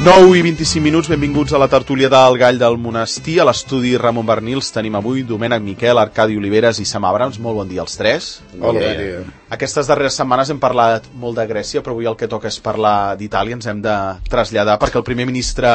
9 i 25 minuts, benvinguts a la tertúlia del Gall del Monestir. A l'estudi Ramon Bernils tenim avui Domènec Miquel, Arcadi Oliveres i Sam Abrams. Molt bon dia als tres. Hola, bon dia. Aquestes darreres setmanes hem parlat molt de Grècia, però avui el que toca és parlar d'Itàlia. Ens hem de traslladar perquè el primer ministre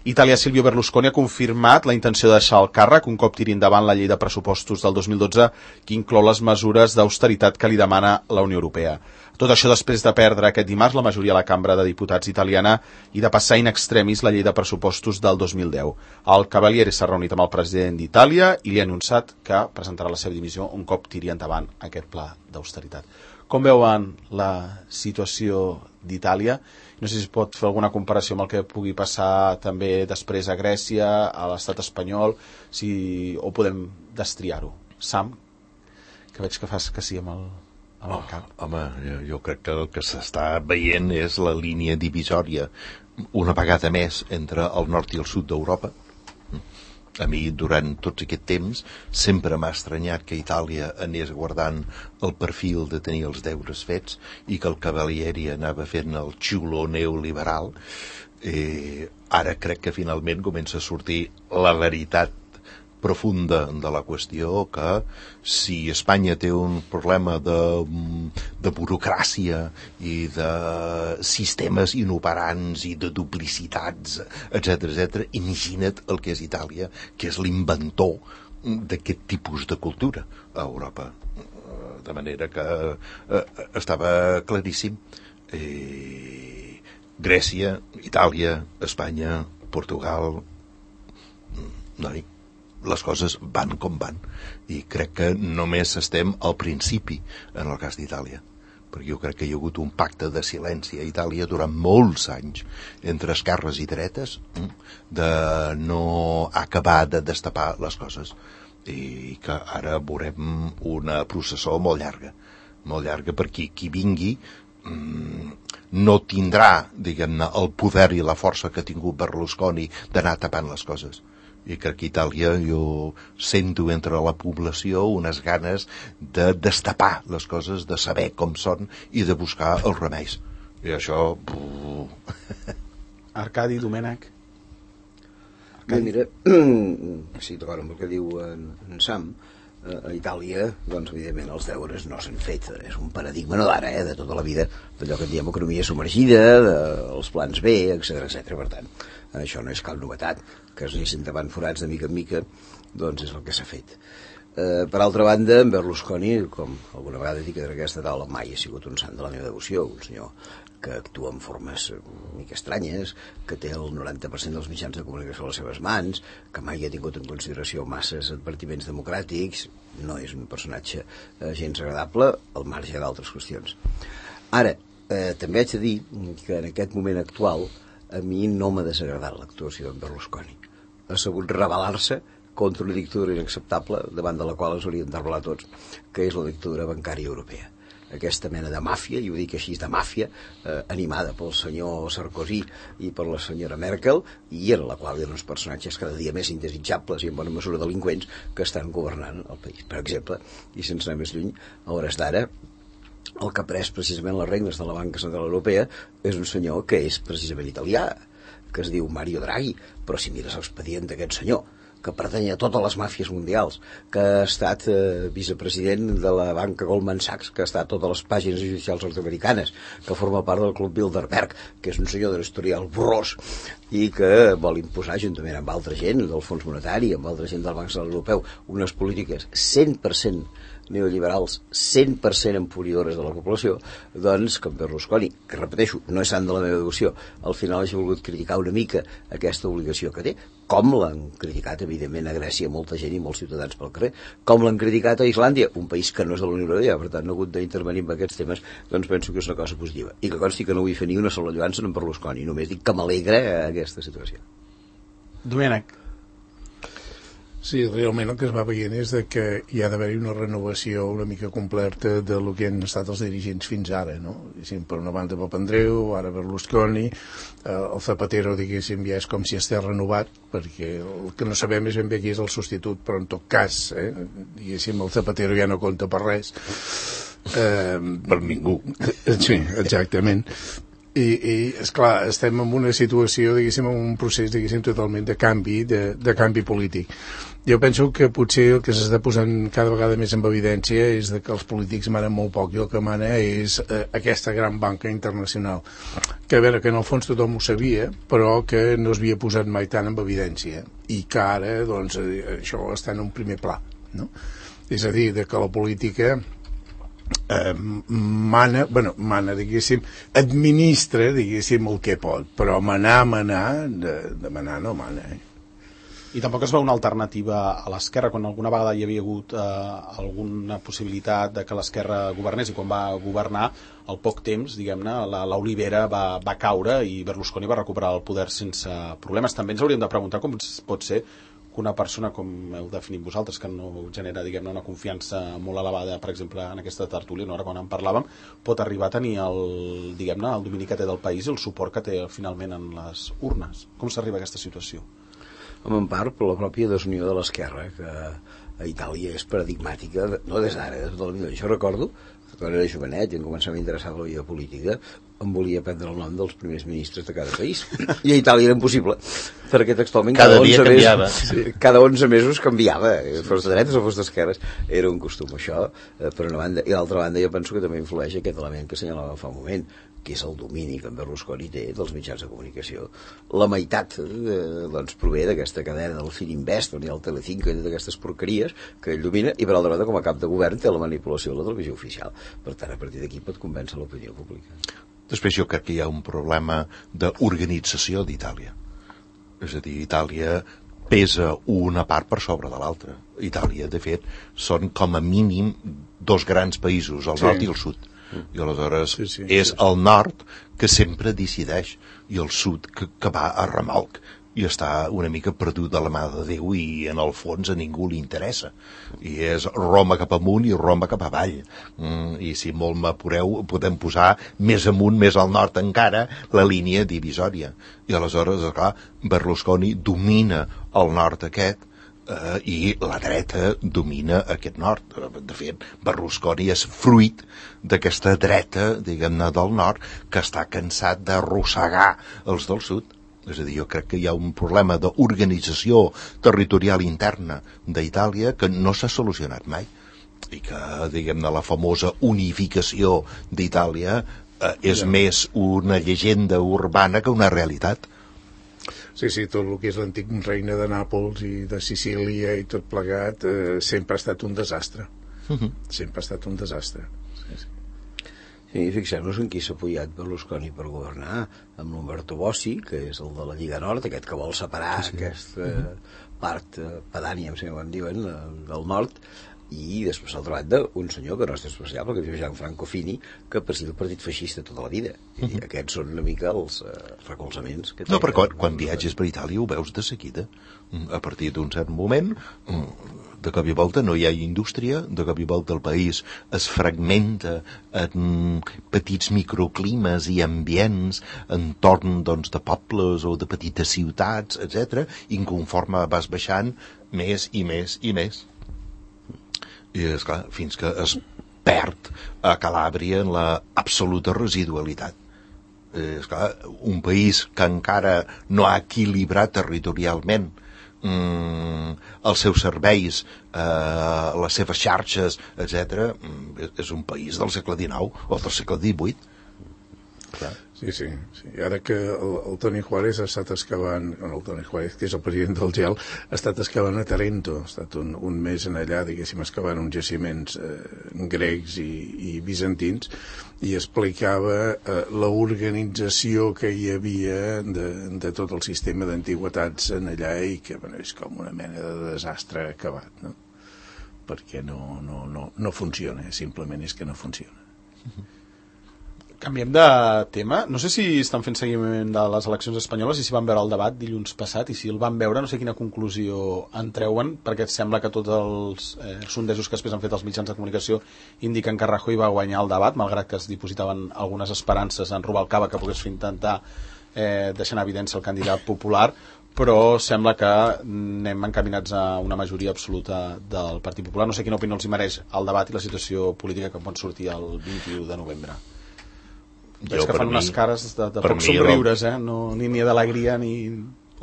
italià Silvio Berlusconi ha confirmat la intenció de deixar el càrrec un cop tiri endavant la llei de pressupostos del 2012 que inclou les mesures d'austeritat que li demana la Unió Europea. Tot això després de perdre aquest dimarts la majoria a la Cambra de Diputats italiana i de passar in extremis la llei de pressupostos del 2010. El Cavaliere s'ha reunit amb el president d'Itàlia i li ha anunciat que presentarà la seva dimissió un cop tiri endavant aquest pla d'austeritat. Com veuen la situació d'Itàlia? No sé si es pot fer alguna comparació amb el que pugui passar també després a Grècia, a l'estat espanyol, o podem destriar-ho. Sam, que veig que fas que sí amb el cap. Home, jo crec que el que s'està veient és la línia divisòria una vegada més entre el nord i el sud d'Europa. A mi, durant tots aquest temps, sempre m'ha estranyat que Itàlia anés guardant el perfil de tenir els deures fets i que el Cavalieri anava fent el xulo neoliberal. Ara crec que finalment comença a sortir la veritat profunda de la qüestió, que si Espanya té un problema de burocràcia i de sistemes inoperants i de duplicitats, etc., imagina't el que és Itàlia, que és l'inventor d'aquest tipus de cultura a Europa. De manera que estava claríssim. Grècia, Itàlia, Espanya, Portugal, les coses van com van, i crec que només estem al principi en el cas d'Itàlia, perquè jo crec que hi ha hagut un pacte de silenci a Itàlia durant molts anys entre esquerres i dretes de no acabar de destapar les coses, i que ara veurem una processó molt llarga perquè qui vingui no tindrà, diguem-ne, el poder i la força que ha tingut Berlusconi d'anar tapant les coses. I crec que a Itàlia jo sento entre la població unes ganes de destapar les coses, de saber com són i de buscar els remeis. I això... Arcadi, Domènec? Mira, sí, d'acord amb el que diu en Sam, a Itàlia, doncs, evidentment, els deures no s'han fet. És un paradigma, no d'ara, de tota la vida, d'allò que en diem economia submergida, dels plans B, etc. Per tant, això no és cap novetat. Que es anessin davant forats de mica en mica, doncs és el que s'ha fet. Per altra banda, en Berlusconi, com alguna vegada dic en aquesta taula, mai ha sigut un sant de la meva devoció, un senyor que actua en formes una mica estranyes, que té el 90% dels mitjans de comunicació a les seves mans, que mai ha tingut en consideració masses advertiments democràtics, no és un personatge gens agradable, al marge d'altres qüestions. Ara, també haig de dir que en aquest moment actual a mi no m'ha desagradat l'actuació d'en Berlusconi. Ha sabut rebel·lar-se contra una dictadura inacceptable davant de la qual ens hauríem de rebel·lar tots, que és la dictadura bancària europea. Aquesta mena de màfia, i ho dic així, de màfia, animada pel senyor Sarkozy i per la senyora Merkel, i en la qual hi ha uns personatges cada dia més indesitjables i en bona mesura delinqüents que estan governant el país. Per exemple, i sense anar més lluny, a hores d'ara, el que ha pres precisament les regnes de la Banca Central Europea és un senyor que és precisament italià, que es diu Mario Draghi, però si mires l'expedient d'aquest senyor, que pertany a totes les màfies mundials, que ha estat vicepresident de la banca Goldman Sachs, que ha estat a totes les pàgines judicials nord-americanes, que forma part del Club Bilderberg, que és un senyor de l'historial borrós i que vol imposar, juntament amb altra gent del Fons Monetari, amb altra gent del Banc Central Europeu, unes polítiques 100% neoliberals, 100% emporidores de la població, doncs, com Berlusconi, que repeteixo, no és sant de la meva devoció, al final hagi volgut criticar una mica aquesta obligació que té, com l'han criticat, evidentment, a Grècia molta gent i molts ciutadans pel carrer, com l'han criticat a Islàndia, un país que no és de la Unió Europea, per tant, no ha hagut d'intervenir en aquests temes, doncs penso que és una cosa positiva. I que consti que no vull fer ni una sola lloança en Berlusconi, només dic que m'alegra aquesta situació. Domènec. Sí, realment el que es va veient és que hi ha d'haver-hi una renovació una mica completa de lo que han estat els dirigents fins ara, no? Per una banda Papandreou, ara Berlusconi, el Zapatero, diguéssim, ja és com si estigués renovat, perquè el que no sabem és ben bé qui és el substitut, però en tot cas, diguéssim, el Zapatero ja no compta per res. Per ningú. Sí, exactament. I esclar, estem en una situació, diguéssim, en un procés, diguéssim, totalment de canvi polític. Jo penso que potser el que s'està posant cada vegada més en evidència és que els polítics manen molt poc i el que mana és aquesta gran banca internacional. Que a veure, que en el fons tothom ho sabia, però que no es havia posat mai tant en evidència i que ara, doncs, això està en un primer pla, no? És a dir, que la política mana, diguéssim, administra, diguéssim, el que pot, però manar, de manar no mana, I tampoc es veu una alternativa a l'esquerra, quan alguna vegada hi havia hagut alguna possibilitat de que l'esquerra governés, i quan va governar, al poc temps, diguem-ne, l'olivera va caure i Berlusconi va recuperar el poder sense problemes. També ens hauríem de preguntar com pot ser que una persona, com heu definit vosaltres, que no genera, diguem-ne, una confiança molt elevada, per exemple, en aquesta tertúlia, no? Ara quan en parlàvem, pot arribar a tenir el domini que té del país i el suport que té finalment en les urnes. Com s'arriba a aquesta situació? En part per la pròpia desunió de l'esquerra, que a Itàlia és paradigmàtica, no des d'ara, de tota la vida. Jo recordo que quan era jovenet i em començava a interessar la vida política, em volia prendre el nom dels primers ministres de cada país. I a Itàlia era impossible, perquè textualment cada dia canviava. Cada 11 mesos canviava, fos de dretes o fos d'esquerres. Era un costum, això, per una banda. I d'altra banda, jo penso que també influeix aquest element que assenyalava fa un moment, que és el domini que en Berlusconi té dels mitjans de comunicació. La meitat doncs, prové d'aquesta cadena del Fininvest, on hi ha el Telecinco i d'aquestes porqueries que ell domina, i per altra banda, com a cap de govern, té la manipulació de la televisió oficial. Per tant, a partir d'aquí pot convèncer l'opinió pública. Després jo crec que hi ha un problema d'organització d'Itàlia. És a dir, Itàlia pesa una part per sobre de l'altra. Itàlia, de fet, són com a mínim dos grans països, el nord i el sud. I aleshores és el nord que sempre decideix i el sud que va a remolc i està una mica perdut de la mà de Déu i en el fons a ningú li interessa i és Roma cap amunt i Roma cap avall i si molt m'apureu podem posar més amunt, més al nord encara la línia divisòria i aleshores, clar, Berlusconi domina el nord aquest i la dreta domina aquest nord. De fet, Berlusconi és fruit d'aquesta dreta, diguem-ne, del nord, que està cansat d'arrossegar els del sud. És a dir, jo crec que hi ha un problema d'organització territorial interna d'Itàlia que no s'ha solucionat mai. I que, diguem-ne, la famosa unificació d'Itàlia és més una llegenda urbana que una realitat. Sí, tot el que és l'antic regne de Nàpols i de Sicília i tot plegat sempre ha estat un desastre. Sempre ha estat un desastre. Sí, fixem-nos en qui s'ha apoyat Berlusconi per governar, amb l'Umberto Bossi, que és el de la Lliga Nord, aquest que vol separar aquesta part pedània, si ho en diuen, del nord, i després, d'altra banda, un senyor que no és especial, perquè diu Gianfranco Fini, que presideix el partit feixista tota la vida. I aquests són una mica els recolzaments que té. No, però quan viatges per Itàlia ho veus de seguida. A partir d'un cert moment, de cop i volta no hi ha indústria, de cop i volta el país es fragmenta en petits microclimes i ambients entorn doncs, de pobles o de petites ciutats, etc. I conforme vas baixant més i més i més. I esclar, fins que es perd a Calàbria en la absoluta residualitat. Esclar, un país que encara no ha equilibrat territorialment els seus serveis, les seves xarxes, etc., és un país del segle XIX o del segle XVIII. Clar. Sí. Ara que el Toni Juárez ha estat excavant, el Toni Juárez, que és el president del GEL, ha estat excavant a Tarento, ha estat un mes en allà, diguéssim, excavant uns jaciments grecs i bizantins, i explicava l'organització que hi havia de tot el sistema d'antigüetats en allà i que és com una mena de desastre acabat, no? Perquè no funciona, simplement és que no funciona. Canviem de tema. No sé si estan fent seguiment de les eleccions espanyoles i si van veure el debat dilluns passat i si el van veure, no sé quina conclusió en treuen, perquè sembla que tots els sondejos que després han fet els mitjans de comunicació indiquen que Rajoy va guanyar el debat, malgrat que es dipositaven algunes esperances en Rubalcaba que pogués intentar deixar en evidència el candidat popular, però sembla que anem encaminats a una majoria absoluta del Partit Popular. No sé quina opinió els hi mereix el debat i la situació política que pot sortir el 21 de novembre. Veig que fan unes cares de poc somriures, no, ni d'alegria ni...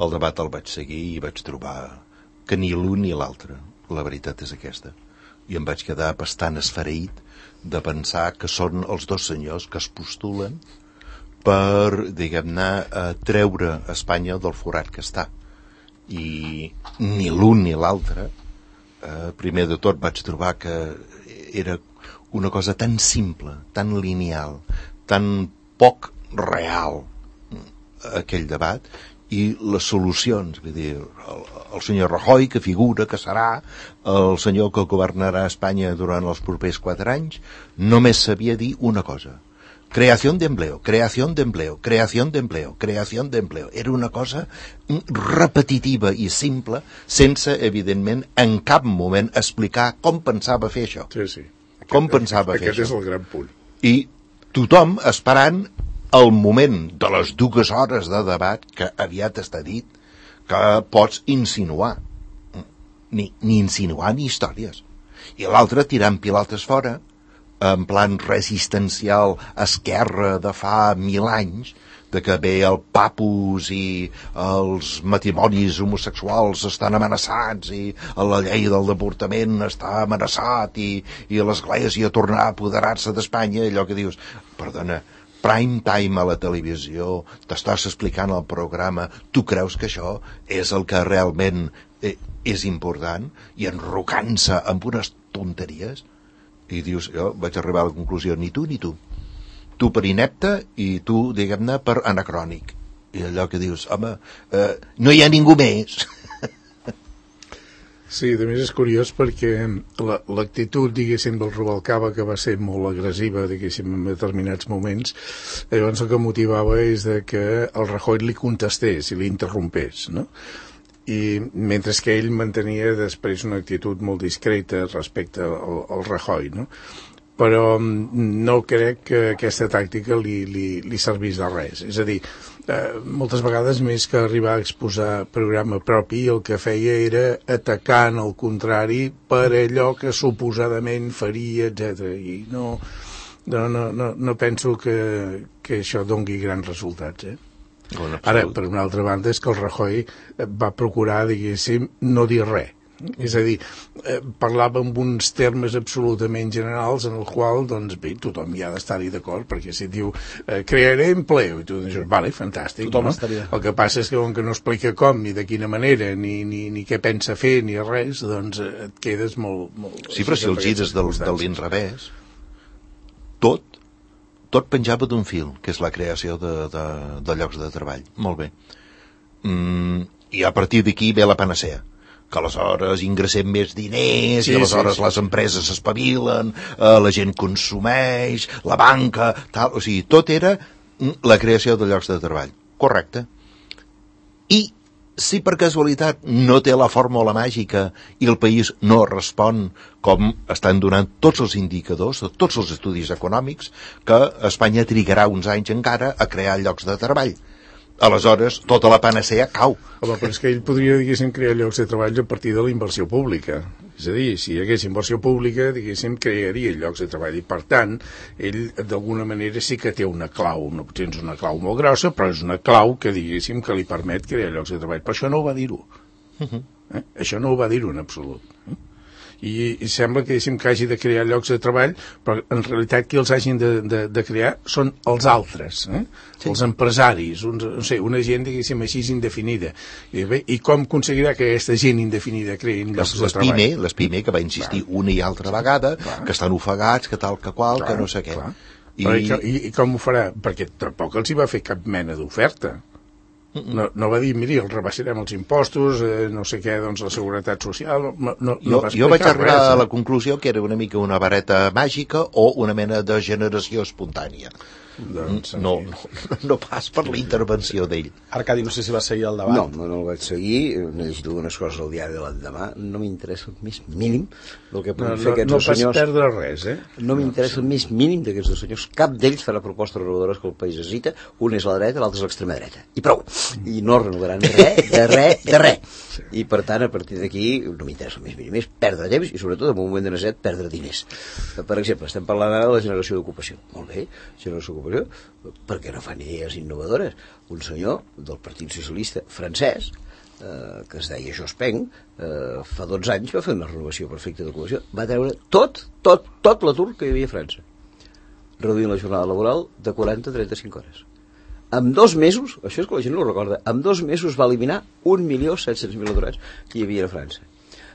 El debat el vaig seguir i vaig trobar que ni l'un ni l'altre, la veritat és aquesta. I em vaig quedar bastant esfereït de pensar que són els dos senyors que es postulen per, diguem-ne, treure Espanya del forat que està. I ni l'un ni l'altre, primer de tot vaig trobar que era una cosa tan simple, tan lineal, tan poc real, aquell debat, i les solucions, vull dir, el senyor Rajoy, que figura que serà el senyor que governarà Espanya durant els propers 4 anys, només sabia dir una cosa: creación de empleo, creación de empleo, creación de empleo, creación de empleo. Era una cosa repetitiva i simple, sense, evidentment, en cap moment explicar com pensava fer això. Sí. Com pensava fer això. Aquest és el gran punt. I tothom esperant el moment de les 2 hores de debat, que aviat està dit, que pots insinuar. Ni insinuar ni històries. I l'altre tirant pilotes fora, en plan resistencial esquerra de fa 1000 anys, de que bé el papus i els matrimonis homosexuals estan amenaçats i la llei del deportament està amenaçat i l'Església tornarà a apoderar-se d'Espanya, allò que dius, perdona, prime time a la televisió, t'estàs explicant el programa, tu creus que això és el que realment és important, i enrocant-se amb unes tonteries, i dius, jo vaig arribar a la conclusió, ni tu ni tu. Tu per inepte i tu, diguem-ne, per anacrònic. I allò que dius, home, no hi ha ningú més. Sí, a més és curiós perquè l'actitud, diguéssim, del Rubalcaba, que va ser molt agressiva, diguéssim, en determinats moments, llavors el que motivava és que el Rajoy li contestés i li interrompés, no? I mentre que ell mantenia després una actitud molt discreta respecte al Rajoy, no? Però no crec que aquesta tàctica li servís de res. És a dir, moltes vegades, més que arribar a exposar programa propi, el que feia era atacar en el contrari per allò que suposadament faria, etc. I no penso que això dongui grans resultats, Ara, per una altra banda, és que el Rajoy va procurar, diguéssim, no dir res. És a dir, parlava amb uns termes absolutament generals en el qual, doncs bé, tothom hi ha d'estar-hi d'acord, perquè si diu crearé empleo, i tu dius, vale, fantàstic, no? El que passa és que com que no explica com, ni de quina manera, ni què pensa fer, ni res, doncs et quedes molt... Sí, però si el gires de l'inrevés, tot penjava d'un fil, que és la creació de llocs de treball. Molt bé. I a partir d'aquí ve la panacea, que aleshores ingressem més diners, i aleshores les empreses s'espavilen, la gent consumeix, la banca, tal. O sigui, tot era la creació de llocs de treball. Correcte. I si per casualitat no té la fórmula màgica i el país no respon com estan donant tots els indicadors, tots els estudis econòmics, que Espanya trigarà uns anys encara a crear llocs de treball. Aleshores, tota la panacea cau. Home, però és que ell podria, diguéssim, crear llocs de treball a partir de la inversió pública. És a dir, si hi hagués inversió pública, diguéssim, crearia llocs de treball. I, per tant, ell, d'alguna manera, sí que té una clau. No tens una clau molt grossa, però és una clau que, diguéssim, que li permet crear llocs de treball. Però això no ho va dir-ho. Això no ho va dir-ho en absolut. I sembla que hagi de crear llocs de treball, però en realitat qui els hagin de crear són els altres, els empresaris, una gent, diguéssim, així indefinida. I com aconseguirà que aquesta gent indefinida creïn llocs de treball? Les PIME, que va insistir una i altra vegada, que estan ofegats, que tal, que qual, que no sé què. I com ho farà? Perquè tampoc els hi va fer cap mena d'oferta. No va dir, miri, els rebaixarem els impostos, no sé què, doncs la seguretat social... Jo vaig arribar a la conclusió que era una mica una vareta màgica o una mena de generació espontània. Doncs, no pas per la intervenció d'ell. Arcadi, no sé si va seguir el debat. No el vaig seguir, n'he llegit algunes coses al diari de l'endemà, no m'interessa el més mínim del que poden fer aquests dos senyors. No vas perdre res, No m'interessa el més mínim d'aquests dos senyors, cap d'ells farà propostes renovadores que el país necessita, un és a la dreta, l'altre és a l'extrema dreta, i prou, i no renovaran res. I per tant, a partir d'aquí, no m'interessa el més mínim, és perdre temps i sobretot en un moment de necessitat perdre diners. Per exemple, estem parlant ara de la generació d'ocupació. Molt bé, generació d'ocupació cooperació, perquè no fan idees innovadores. Un senyor del Partit Socialista francès, que es deia Jospin, fa 12 anys va fer una renovació perfecta de cooperació, va treure tot l'atur que hi havia a França, reduint la jornada laboral de 40 a 35 hores. En 2 mesos, això és que la gent no ho recorda, en 2 mesos va eliminar 1.700.000 aturats que hi havia a França.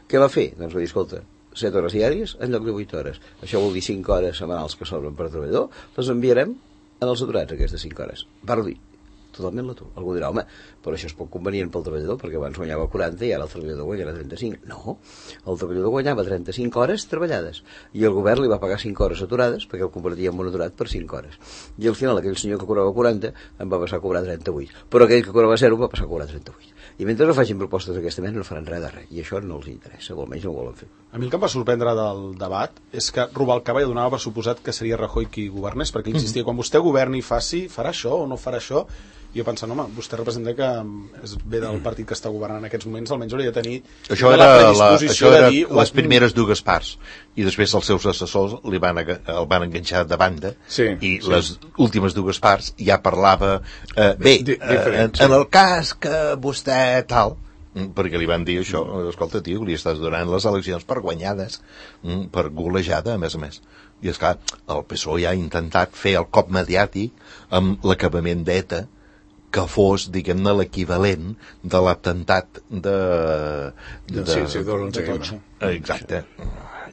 Què va fer? Doncs va dir, escolta, 7 hores diàries en lloc de 8 hores. Això vol dir 5 hores setmanals que sobren per treballador, les enviarem en els aturats, aquestes 5 hores. Va reduir totalment l'atur. Algú dirà, home, però això és poc convenient pel treballador, perquè abans guanyava 40 i ara el treballador guanyarà 35. No, el treballador guanyava 35 hores treballades i el govern li va pagar 5 hores aturades perquè el convertia en un aturat per 5 hores. I al final aquell senyor que cobrava 40 en va passar a cobrar 38, però aquell que cobrava 0 va passar a cobrar 38. I mentre no facin propostes d'aquesta mena no faran res de res, i això no els interessa, o almenys no ho volen fer. A mi el que em va sorprendre del debat és que Rubalcaba ja donava per suposat que seria Rajoy qui governés, perquè insistia, quan vostè governi i faci, farà això o no farà això. I jo pensant, home, vostè representa que ve del partit que està governant en aquests moments, almenys hauria de tenir la predisposició de dir... Les primeres dues parts, i després els seus assessors el van enganxar de banda, i les últimes dues parts ja parlava en el cas que vostè tal, perquè li van dir això, escolta, tio, li estàs donant les eleccions per guanyades, per golejada, a més. I esclar, el PSOE ja ha intentat fer el cop mediàtic amb l'acabament d'ETA, que fos, diguem-ne, l'equivalent de l'atemptat de Tocha. Exacte.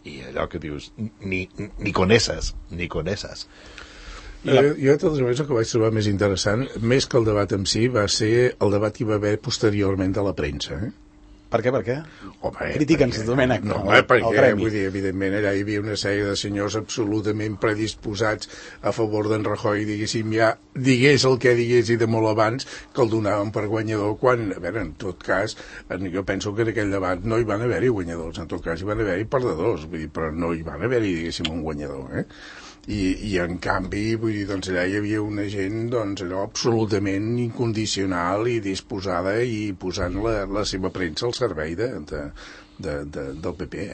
I allò que dius, ni con esas. Jo, de totes maneres, el que vaig trobar més interessant, més que el debat en si, va ser el debat que hi va haver posteriorment de la premsa, Per què? Home, Critica'ns, Domènec. No, perquè, vull dir, evidentment, allà hi havia una sèrie de senyors absolutament predisposats a favor d'en Rajoy, diguéssim, ja digués el que digués i de molt abans, que el donaven per guanyador, quan, a veure, en tot cas, jo penso que en aquell debat no hi van haver-hi guanyadors, en tot cas hi van haver-hi perdedors, vull dir, però no hi van haver-hi, diguéssim, un guanyador, I en canvi, vull dir, doncs allà hi havia una gent, doncs allò absolutament incondicional i disposada i posant la seva premsa al servei del PP,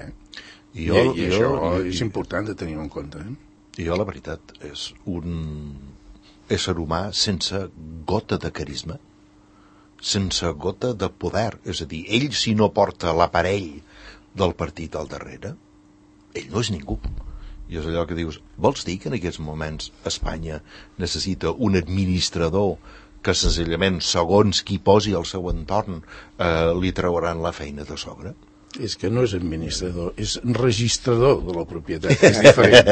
I això és important de tenir en compte, Jo, la veritat, és un ésser humà sense gota de carisma, sense gota de poder, és a dir, ell si no porta l'aparell del partit al darrere, ell no és ningú. I és allò que dius, vols dir que en aquests moments Espanya necessita un administrador que senzillament, segons qui posi al seu entorn, li trauran la feina de sobre? És que no és administrador, és registrador de la propietat, és diferent.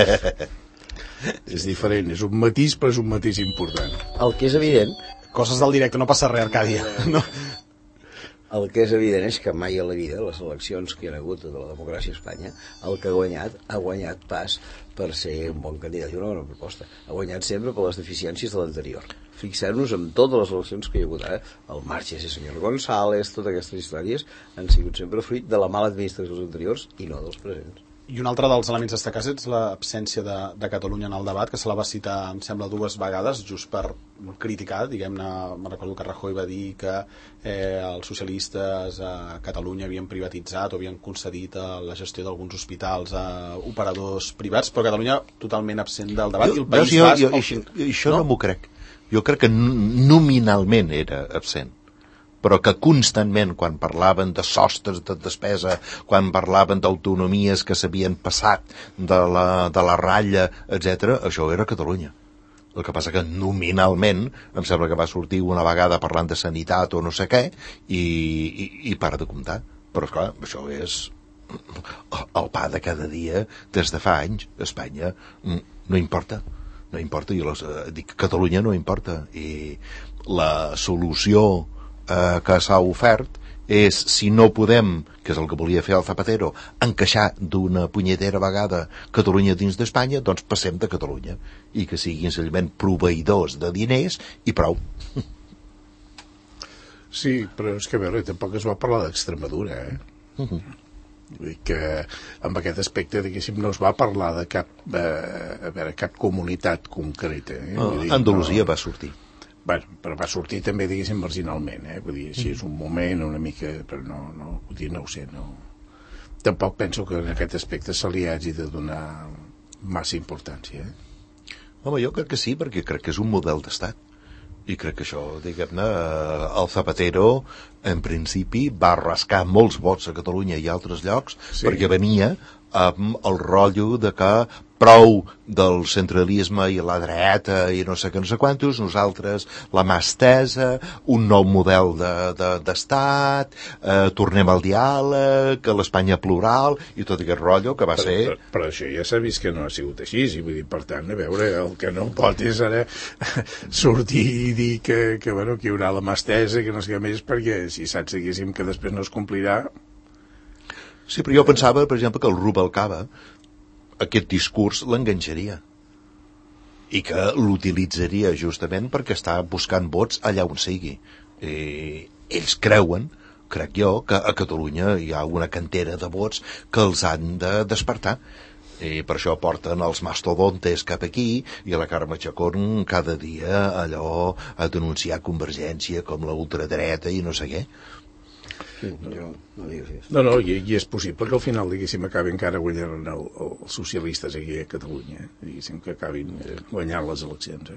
És diferent, és un matís, però és un matís important. El que és evident... Coses del directe, no passa res, Arcàdia. No. El que és evident és que mai a la vida, les eleccions que hi ha hagut de la democràcia a Espanya, el que ha guanyat pas per ser un bon candidat i una bona proposta. Ha guanyat sempre per les deficiències de l'anterior. Fixem-nos en totes les eleccions que hi ha hagut ara. El Marches i el senyor González, totes aquestes històries han sigut sempre fruit de la mala administració dels anteriors i no dels presents. I un altre dels elements destacats és l'absència de Catalunya en el debat, que se la va citar, em sembla, 2 vegades, just per criticar, diguem-ne, me'n recordo que Rajoy va dir que els socialistes a Catalunya havien privatitzat o havien concedit la gestió d'alguns hospitals a operadors privats, però Catalunya totalment absent del debat, i el País Basc... Això no m'ho crec. Jo crec que nominalment era absent, però que constantment, quan parlaven de sostres de despesa, quan parlaven d'autonomies que s'havien passat de la ratlla, etc., això era Catalunya. El que passa que nominalment em sembla que va sortir una vegada parlant de sanitat o no sé què i para de comptar. Però esclar, això és el pa de cada dia des de fa anys. Espanya no importa, i dic, Catalunya no importa, i la solució que s'ha ofert és, si no podem, que és el que volia fer el Zapatero, encaixar d'una punyetera vegada Catalunya dins d'Espanya, doncs passem de Catalunya i que siguin senzillament proveïdors de diners i prou. Sí, però és que a veure, tampoc es va parlar d'Extremadura, Vull dir que amb aquest aspecte, diguéssim, no es va parlar de cap comunitat concreta. Andalusia va sortir. Bueno, però va sortir també, diguéssim, marginalment, Vull dir, així és un moment una mica, però no, vull dir, no ho sé, no. Tampoc penso que en aquest aspecte se li hagi de donar massa importància, Home, jo crec que sí, perquè crec que és un model d'estat. I crec que això, diguem-ne, el Zapatero, en principi, va rascar molts vots a Catalunya i a altres llocs, perquè venia amb el rotllo de que prou del centralisme i la dreta i no sé què, no sé quantos, nosaltres la mà estesa, un nou model d'estat, tornem al diàleg, a l'Espanya plural i tot aquest rotllo que va ser... Però això ja s'ha vist que no ha sigut així, i vull dir, per tant, a veure, el que no pot és ara sortir i dir que bueno, que hi haurà la mà estesa, que no sé què més, perquè si saps diguéssim que després no es complirà... Sí, però jo pensava, per exemple, que el Rubalcaba aquest discurs l'enganxaria i que l'utilitzaria justament perquè està buscant vots allà on sigui. Ells creuen, crec jo, que a Catalunya hi ha una cantera de vots que els han de despertar. I per això porten els mastodontes cap aquí i la Carme Chacón cada dia allò a denunciar Convergència com la ultradreta i no sé què. Sí, jo no digues. No, i és possible que al final, diguéssim, acabin encara guanyant els socialistes aquí a Catalunya, diguéssim, que acabin guanyant les eleccions.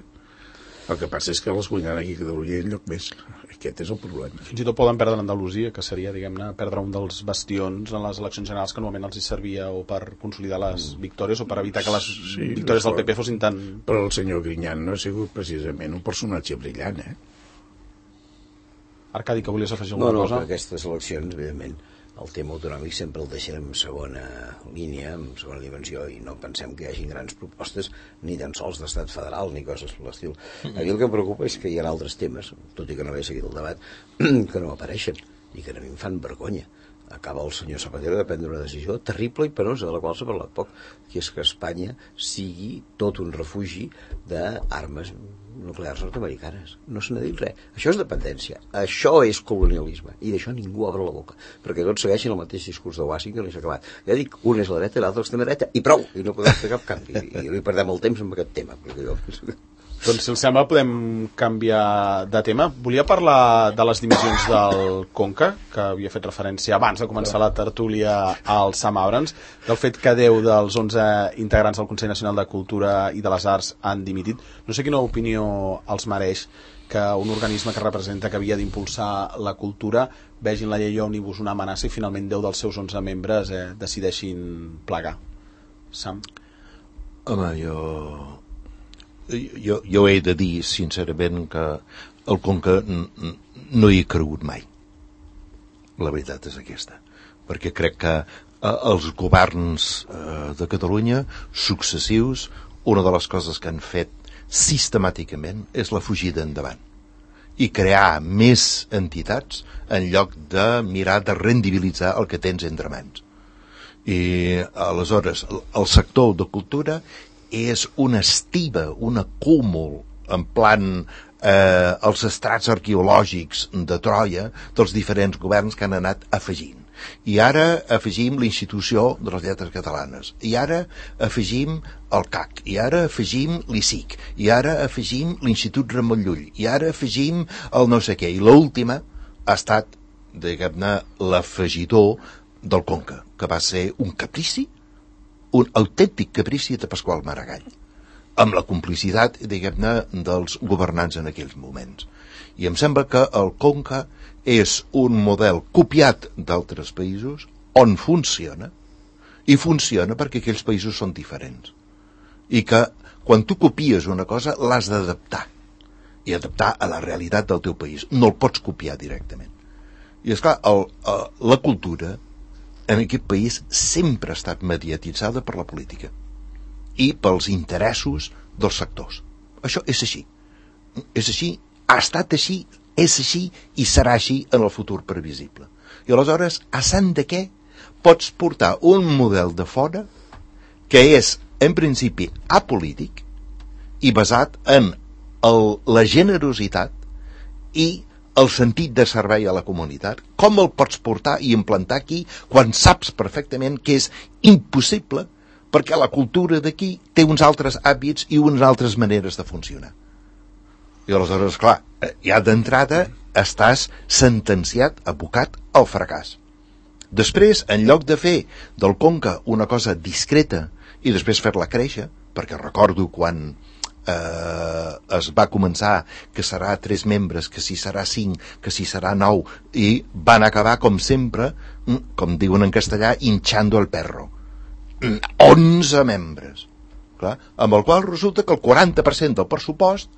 El que passa és que les guanyaran aquí a Catalunya i enlloc més. Aquest és el problema. Fins i tot poden perdre Andalusia, que seria, diguem-ne, perdre un dels bastions en les eleccions generals que normalment els hi servia o per consolidar les victòries o per evitar que les victòries del PP fossin tan... Però el senyor Griñán no ha sigut precisament un personatge brillant, Arcadi, que volies afegir alguna cosa? No, per aquestes eleccions, evidentment, el tema autonòmic sempre el deixarem en segona línia, en segona dimensió, i no pensem que hi hagi grans propostes ni tan sols d'estat federal ni coses per l'estil. A mi el que em preocupa és que hi ha altres temes, tot i que no he seguit el debat, que no apareixen i que a mi em fan vergonya. Acaba el senyor Zapatero de prendre una decisió terrible i penosa, de la qual s'ha parlat poc, que és que Espanya sigui tot un refugi d'armes nuclears nord-americanes. No se n'ha dit res. Això és dependència. Això és colonialisme. I d'això ningú obre la boca. Perquè tots segueixen el mateix discurs de Washington i s'ha acabat. Ja dic, un és la dreta i l'altre l'extrema dreta. I prou! I no podem fer cap canvi. I no hi perdem el temps amb aquest tema. Perquè jo penso que... Doncs, si els sembla, podem canviar de tema. Volia parlar de les dimissions del Conca, que havia fet referència abans de començar la tertúlia al Sam Abrams, del fet que 10 dels 11 integrants del Consell Nacional de Cultura i de les Arts han dimitit. No sé quina opinió els mereix que un organisme que representa que havia d'impulsar la cultura vegin la llei òmnibus una amenaça i finalment 10 dels seus 11 membres decideixin plegar. Sam? Home, jo he de dir sincerament que el Conca no hi he cregut mai. La veritat és aquesta, perquè crec que els governs de Catalunya successius, una de les coses que han fet sistemàticament és la fugida endavant i crear més entitats en lloc de mirar de rendibilitzar el que tens entre mans. I aleshores el sector de cultura és una estiba, un acúmul en plan els estrats arqueològics de Troia dels diferents governs que han anat afegint. I ara afegim l'Institució de les Lletres Catalanes, i ara afegim el CAC, i ara afegim l'ICIC, i ara afegim l'Institut Ramon Llull, i ara afegim el no sé què, i l'última ha estat, diguem-ne, l'afegidor del Conca, que va ser un caprici, un autèntic caprici de Pasqual Maragall, amb la complicitat, diguem-ne, dels governants en aquells moments. I em sembla que el Conca és un model copiat d'altres països on funciona, i funciona perquè aquells països són diferents. I que quan tu copies una cosa l'has d'adaptar, i adaptar a la realitat del teu país. No el pots copiar directament. I esclar, la cultura en aquest país sempre ha estat mediatitzada per la política i pels interessos dels sectors. Això és així. És així, ha estat així, és així i serà així en el futur previsible. I aleshores, a sant de què pots portar un model de fora que és, en principi, apolític i basat en la generositat i el sentit de servei a la comunitat? Com el pots portar i implantar aquí quan saps perfectament que és impossible perquè la cultura d'aquí té uns altres hàbits i unes altres maneres de funcionar? I aleshores, clar, ja d'entrada estàs sentenciat, abocat al fracàs. Després, en lloc de fer del Conca una cosa discreta i després fer-la créixer, perquè recordo quan es va començar que serà 3 membres, que si serà 5, que si serà 9, i van acabar, com sempre, com diuen en castellà, hinchando el perro. 11 membres. Clar, amb el qual resulta que el 40% del pressupost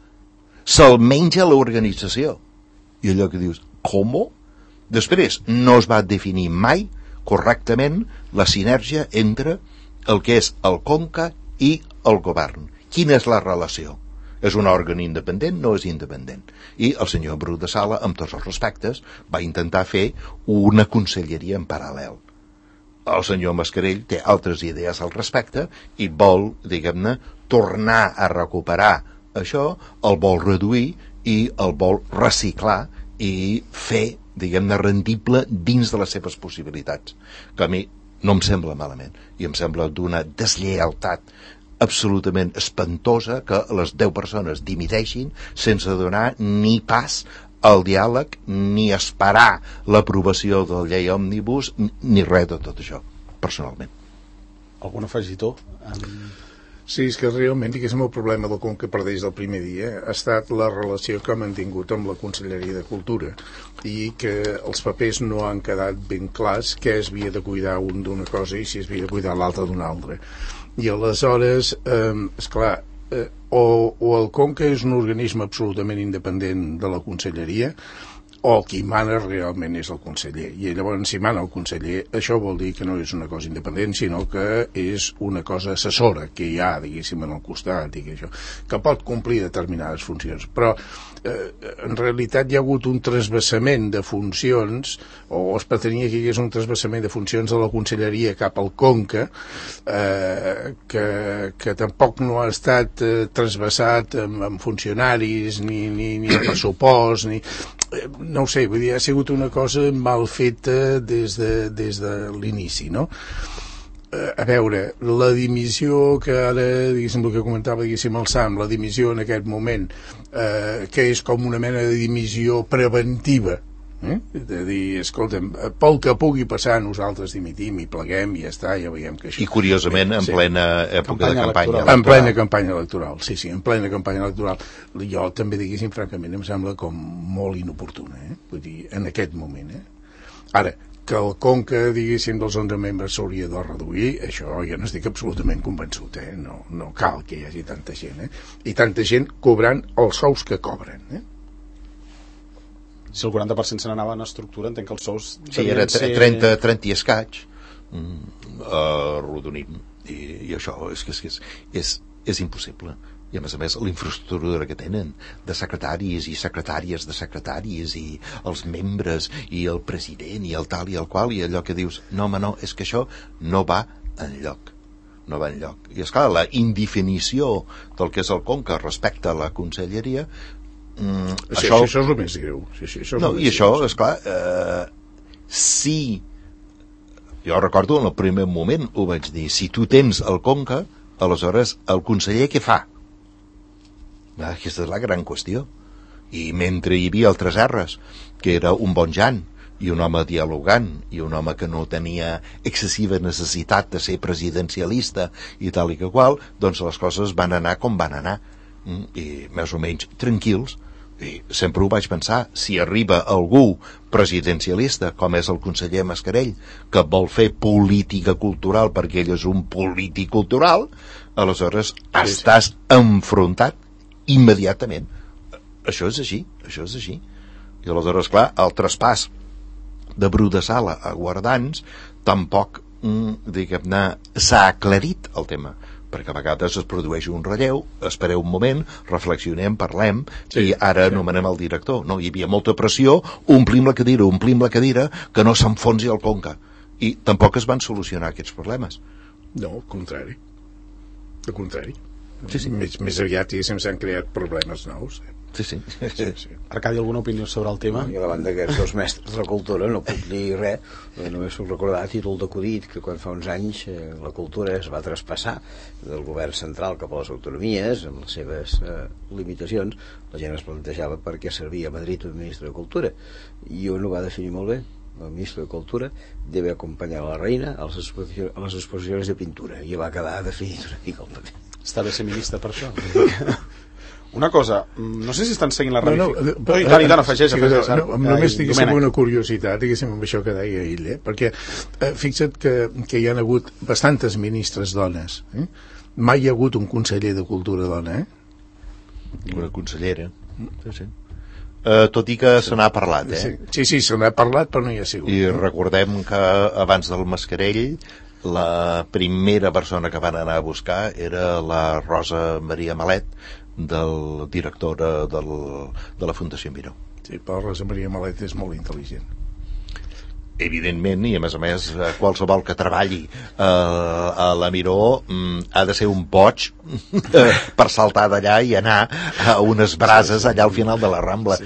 se'l menja l'organització. I allò que dius, com? Després, no es va definir mai correctament la sinergia entre el que és el Conca i el govern. Quina és la relació? És un òrgan independent? No és independent. I el senyor Bru de Sala, amb tots els respectes, va intentar fer una conselleria en paral·lel. El senyor Mascarell té altres idees al respecte i vol, diguem-ne, tornar a recuperar això, el vol reduir i el vol reciclar i fer, diguem-ne, rendible dins de les seves possibilitats. Que a mi no em sembla malament, i em sembla d'una deslleialtat absolutament espantosa que les 10 persones dimiteixin sense donar ni pas al diàleg, ni esperar l'aprovació de la llei òmnibus, ni res de tot això, personalment. Algun afegitó? Sí, és que realment, diguéssim, el problema del Conca per des del primer dia ha estat la relació que ha mantingut amb la Conselleria de Cultura i que els papers no han quedat ben clars què es havia de cuidar un d'una cosa i si es havia de cuidar l'altre d'una altra. I aleshores, esclar, o el Conca és un organisme absolutament independent de la Conselleria, o qui mana realment és el conseller. I llavors, si mana el conseller, això vol dir que no és una cosa independent, sinó que és una cosa assessora que hi ha, diguéssim, en el costat, i que pot complir determinades funcions. Però, en realitat, hi ha hagut un trasbassament de funcions, o es pretenia que hi hagués un trasbassament de funcions de la Conselleria cap al Conca, que tampoc no ha estat trasbassat amb funcionaris, ni en pressupost, ni... no ho sé, vull dir, ha sigut una cosa mal feta des de l'inici, no? A veure, la dimissió que ara, diguéssim, el que comentava, diguéssim, el Sam, la dimissió en aquest moment, que és com una mena de dimissió preventiva, de dir, escolta'm, pel que pugui passar nosaltres dimitim i pleguem i ja està, ja veiem que això... I curiosament en plena època de campanya electoral. En plena campanya electoral, sí, en plena campanya electoral. Jo també, diguéssim, francament, em sembla com molt inoportuna, vull dir, en aquest moment, Ara, que el Conca, diguéssim, dels 11 membres s'hauria de reduir, això ja no estic absolutament convençut, no cal que hi hagi tanta gent, i tanta gent cobrant els sous que cobren, Si el 40% se n'anava en estructura, entenc que els sous... Sí, era 30 i escaig, arrodonim, i això és impossible. I a més, la infraestructura que tenen de secretaris i secretàries de secretaris i els membres i el president i el tal i el qual, i allò que dius, no, home, no, és que això no va enlloc. No va enlloc. I esclar, la indefinició del que és el Conca respecte a la conselleria, això és el més greu. I això, esclar, si jo recordo en el primer moment ho vaig dir, si tu tens el Conca, aleshores el conseller què fa? Aquesta és la gran qüestió. I mentre hi havia altres R's, que era un bon Jan i un home dialogant i un home que no tenia excessiva necessitat de ser presidencialista i tal i que qual, doncs les coses van anar com van anar, i més o menys tranquils. I sempre ho vaig pensar, si arriba algú presidencialista com és el conseller Mascarell, que vol fer política cultural perquè ell és un polític cultural, aleshores estàs enfrontat immediatament. Això és així. I aleshores, clar, el traspàs de Bru de Sala a Guardans tampoc, diguem-ne, s'ha aclarit el tema, perquè a vegades es produeix un relleu, espereu un moment, reflexionem, parlem, i ara anomenem el director. No, hi havia molta pressió, omplim la cadira, que no s'enfonsi el Conca. I tampoc es van solucionar aquests problemes. No, al contrari. Al contrari. Sí. Més aviat s'han creat problemes nous. Sí. Arcadi, alguna opinió sobre el tema? I a la banda d'aquests dos mestres de la cultura no puc dir res, només puc recordar a títol d'acudit que quan fa uns anys la cultura es va traspassar del govern central cap a les autonomies amb les seves limitacions. La gent es plantejava per què servia a Madrid un ministre de Cultura, i un ho va definir molt bé. El ministre de Cultura debe acompanyar a la reina a les exposicions de pintura, i va quedar definit una mica el paper. Està bé ser ministre per això. Una cosa, no sé si estan seguint la ramificació. Dani, afegeix. Només diguéssim una curiositat, diguéssim, amb això que deia ell, perquè fixa't que hi ha hagut bastantes ministres dones. Mai hi ha hagut un conseller de cultura dona, Una consellera. Sí. Tot i que se n'ha parlat, Sí, se n'ha parlat, però no hi ha sigut. I recordem que abans del Mascarell la primera persona que van anar a buscar era la Rosa Maria Malet, directora de la Fundació Miró. Sí, però Rosa Maria Malet és molt intel·ligent. Evidentment, i a més qualsevol que treballi a la Miró ha de ser un boig per saltar d'allà i anar a unes brases allà al final de la Rambla.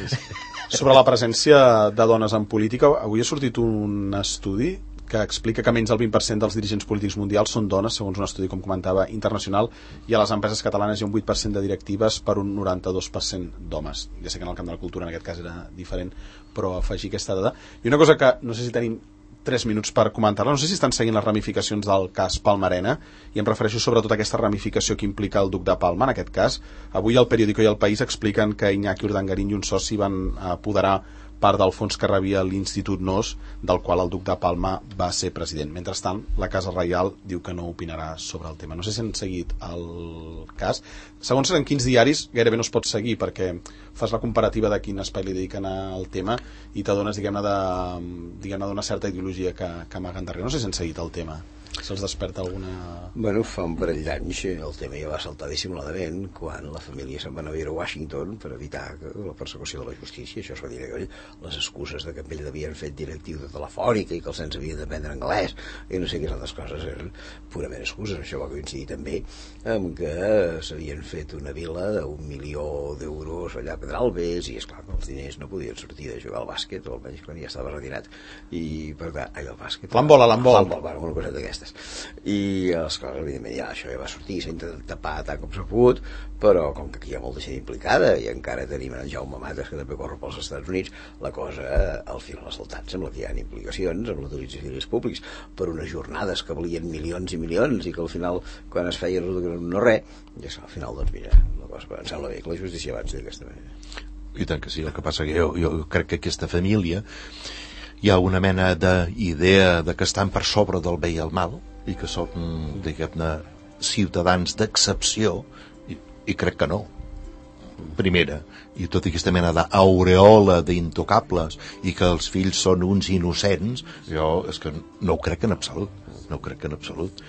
Sobre la presència de dones en política, avui ha sortit un estudi que explica que menys del 20% dels dirigents polítics mundials són dones, segons un estudi, com comentava, internacional, i a les empreses catalanes hi ha un 8% de directives per un 92% d'homes. Ja sé que en el camp de la cultura en aquest cas era diferent, però afegir aquesta dada. I una cosa que no sé si tenim 3 minuts per comentar-la, no sé si estan seguint les ramificacions del cas Palma-Arena, i em refereixo sobretot a aquesta ramificació que implica el duc de Palma, en aquest cas. Avui el Periódico i el País expliquen que Iñaki Urdangarín i un soci van apoderar part del fons que rebia l'Institut NOS, del qual el duc de Palma va ser president. Mentrestant, la Casa Reial diu que no opinarà sobre el tema. No sé si han seguit el cas. Segons en quins diaris gairebé no es pot seguir, perquè fas la comparativa de quin espai li dediquen al tema i t'adones, diguem-ne, d'una certa ideologia que amaguen darrere. No sé si han seguit el tema. Se'ls desperta alguna... Bueno, fa un parell d'anys el tema ja va saltar dissimuladament quan la família se'n va anar a viure a Washington per evitar la persecució de la justícia. Això es va dir aquell, les excuses de que amb ell l'havien fet directiu de Telefònica i que els nens havien d'aprendre anglès i no sé quines altres coses, eren purament excuses. Això va coincidir també amb que s'havien fet una vila d'1 milió d'euros allà a Pedralbes i esclar que els diners no podien sortir de jugar al bàsquet, o almenys quan ja estava retirat, i per tant, al bàsquet, l'handbol, bueno, una cosa d'aquestes. I les coses, evidentment, ja això ja va sortir, s'ha intentat tapar tant com s'ha pogut, però com que aquí hi ha molta gent implicada i encara tenim en Jaume Mates, que també corre pels Estats Units, la cosa al final ha saltat. Sembla que hi ha implicacions amb l'utilització de diners públics per unes jornades que valien milions i milions i que al final, quan es feia no res, i al final, doncs mira, la cosa em sembla bé que la justícia avanci d'aquesta manera. I tant que sí, el que passa que jo crec que aquesta família hi ha una mena d'idea de que estan per sobre del bé i el mal i que són, diguem-ne, ciutadans d'excepció i crec que no. Primera, i tota aquesta mena d'aureola d'intocables i que els fills són uns innocents, jo és que no ho crec en absolut. No ho crec en absolut.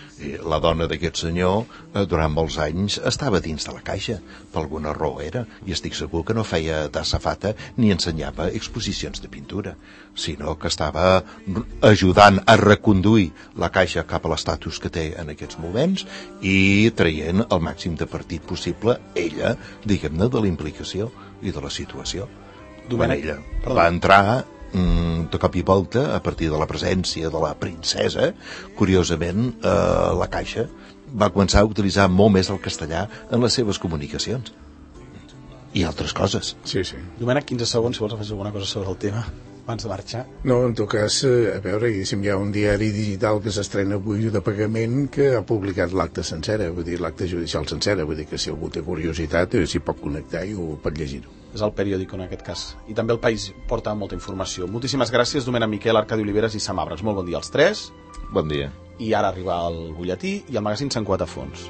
La dona d'aquest senyor durant molts anys estava dins de la caixa, per alguna raó era, i estic segur que no feia d'assafata ni ensenyava exposicions de pintura, sinó que estava ajudant a reconduir la caixa cap a l'estatus que té en aquests moments i traient el màxim de partit possible ella, diguem-ne, de la implicació i de la situació. Quan ella va entrar de cop i volta, a partir de la presència de la princesa, curiosament la Caixa va començar a utilitzar molt més el castellà en les seves comunicacions i altres coses. Sí. Domènec, 15 segons, si vols afegir alguna cosa sobre el tema abans de marxar. No, en tot cas, a veure, hi ha un diari digital que s'estrena avui de pagament que ha publicat l'acte sencera, vull dir, l'acte judicial sencera, vull dir que si algú té curiositat s'hi pot connectar i ho pot llegir-ho. És el Periódico en aquest cas. I també el País porta molta informació. Moltíssimes gràcies, Domènec Miquel, Arcadi Oliveres i Sam Abres. Molt bon dia als tres. Bon dia. I ara arriba el butlletí i el magazín Sant Cuat a fons.